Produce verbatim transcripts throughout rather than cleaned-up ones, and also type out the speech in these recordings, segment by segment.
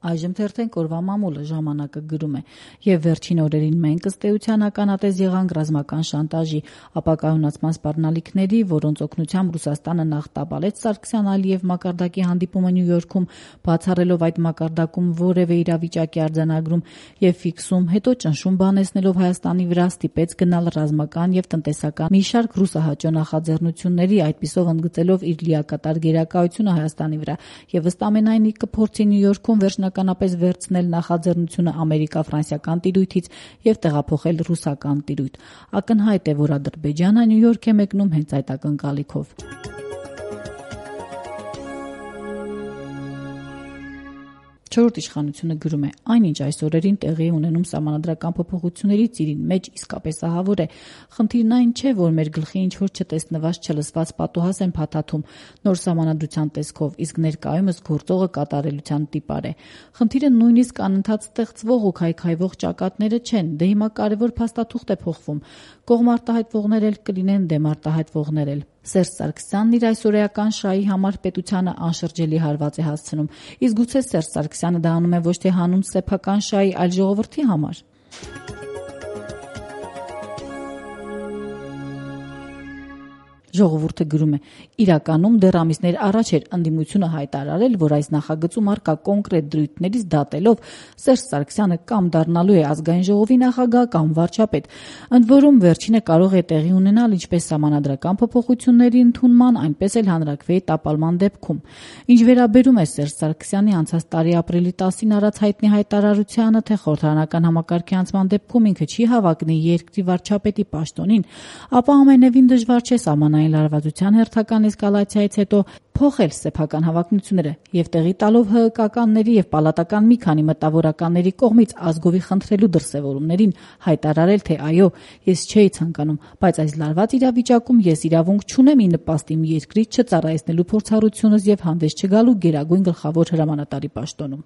Այժմ թերթենք օրվա մամուլը ժամանակը գրում է. եւ վերջին օրերին մենք ըստ էության ականատես եղանք ռազմական շանտաժի, ապակայունացման սպառնալիքների, որոնց օգնությամբ Ռուսաստանը նախ տապալեց Սարգսյան-Ալիև մակարդակի հանդիպումը Նյու Յորքում, բացառելով այդ մակարդակում որևէ իրավիճակի արձանագրում եւ ֆիքսում, հետո ճնշում բանեցնելով Հայաստանի վրա ստիպեց գնալ ռազմական եւ տնտեսական մի շարք ռուսահաճո նախաձեռնությունների, այդպիսով ընդգծելով իր լիակատար գերակայությունը Հայաստանի վրա եւ ըստ ամենայնի կփորձի Նյու Յորքում վերջնականապես վերցնել նախաձեռնությունը ամերիկա-ֆրանսիական տիրույթից եւ տեղափոխել ռուսական տիրույթ։ Ակնհայտ է, որ Ադրբեջանը Նյու Յորք է մեկնում հենց այդ ակնկալիքով։ Չորրորդ իշխանությունը գրում է. այնինչ այս օրերին տեղի ունենում սահմանադրական փոփոխությունների ծիրին մեջ իսկապես ահավոր է։ Խնդիրն այն չէ, որ մեր գլխի ինչ-որ չտեսնված, չլսված պատուհաս են փաթաթում նոր սահմանադրության տեսքով, իսկ ներկայումս գործողը կատարելության տիպար է։ Խնդիրը նույնիսկ անընդհատ ստեղծվող ու քայքայվող ճակատները չեն, դե հիմա կարևոր փաստաթուղթ է փոխվում։ Կողմ արտահայտվողներ էլ կլինեն, դեմ արտահայտվողներ էլ։ Սերժ Սարգսյանն իր այսօրեական շահի համար պետությանը անշրջելի հարված է հասցնում, իսկ գուցե Սերժ Սարգսյանը դա անում է ոչ թե հանուն սեփական շահի, այլ ժողովրդի համար։ Ժողովուրդը գրում է. իրականում դեռ ամիսներ առաջ էր ընդդիմությունը հայտարարել, որ այս նախագծում առկա կոնկրետ դրույթներից դատելով Սերժ Սարգսյանը կամ դառնալու է ազգային ժողովի նախագահ կամ վարչապետ, ընդ որում վերջինը կարող է տեղի ունենալ ինչպես սահմանադրական փոփոխությունների ընդունման, այնպես էլ հանրաքվեի տապալման դեպքում։ Ինչ վերաբերում է Սերժ Սարգսյանի անցած տարի ապրիլի տասին արած հայտնի հայտարարությանը, թե խորհրդարանական համակարգի անցման դեպքում ինքը չի հավակնի երկրի վարչապետի պաշտոնին, ապա ամենևին դժվար չէ սահմանային լարվածության հերթական էսկալացիայից հետո փոխել սեփական հավակնությունները եւ տեղի տալով ՀՀԿ-ականների եւ պալատական մի քանի մտավորականների կողմից ազգովի խնդրելու դրսեւորումներին հայտարարել, թե այո, ես չէի ցանկանում, բայց այս լարված իրավիճակում ես իրավունք չունեմ ի նպաստ իմ երկրի չծառայեցնելու փորձառությունս եւ հանդես չգալու գերագույն գլխավոր հրամանատարի պաշտոնում։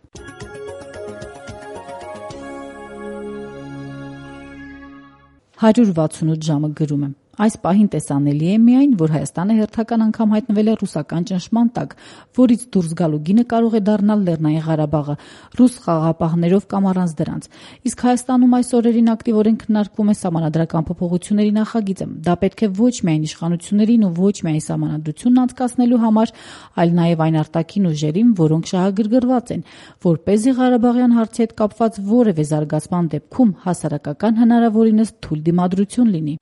հարյուր վաթսունութ ժամը գրում է. այս պահին տեսանելի է միայն, որ Հայաստանը հերթական անգամ հայտնվել է ռուսական ճնշման տակ, որից դուրս գալու գինը կարող է դառնալ Լեռնային Ղարաբաղը, ռուս խաղաղապահներով կամ առանց դրանց։ Իսկ Հայաստանում այս օրերին ակտիվորեն քննարկվում է սահմանադրական փոփոխությունների նախագիծը։ Դա պետք է ոչ միայն իշխանություններին ու ոչ միայն սահմանադրությունն անցկացնելու համար, այլ նաև այն արտաքին ուժերին, որոնք շահագրգռված են, որպեսզի Ղարաբաղյան հարցի հետ կապված որևէ զարգացման դեպքում հասարակական հնարավորինս թույլ դիմադրություն լինի։